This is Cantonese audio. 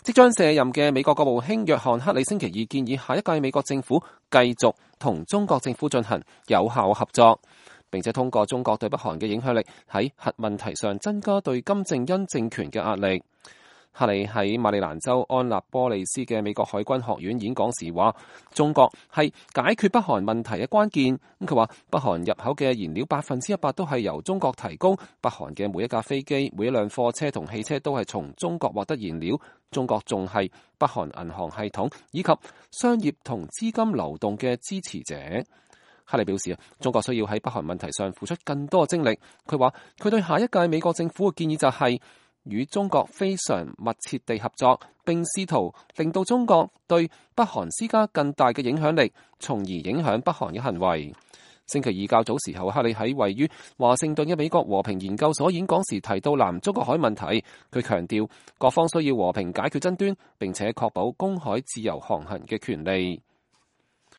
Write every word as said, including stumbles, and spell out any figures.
即將卸任嘅美國國務卿約翰克里星期二建議下一屆美國政府繼續同中國政府進行有效合作，並且通過中國對北韓嘅影響力喺核問題上增加對金正恩政權嘅壓力。克里喺馬里蘭州安納波利斯嘅美國海軍學院演講時話，中國係解決北韓問題嘅關鍵。咁佢話，北韓入口嘅燃料百分之一百都係由中國提供，北韓嘅每一架飛機、每一輛貨車同汽車都係從中國獲得燃料。中國仲係北韓銀行系統以及商業同資金流動嘅支持者。克里表示啊，中國需要喺北韓問題上付出更多精力。佢話，佢對下一屆美國政府嘅建議就係、是與中國非常密切地合作，並試圖令到中國對北韓施加更大嘅影響力，從而影響北韓嘅行為。星期二較早時候，克里喺位於華盛頓嘅美國和平研究所演講時提到南中國海問題。佢強調各方需要和平解決爭端，並且確保公海自由航行嘅權利。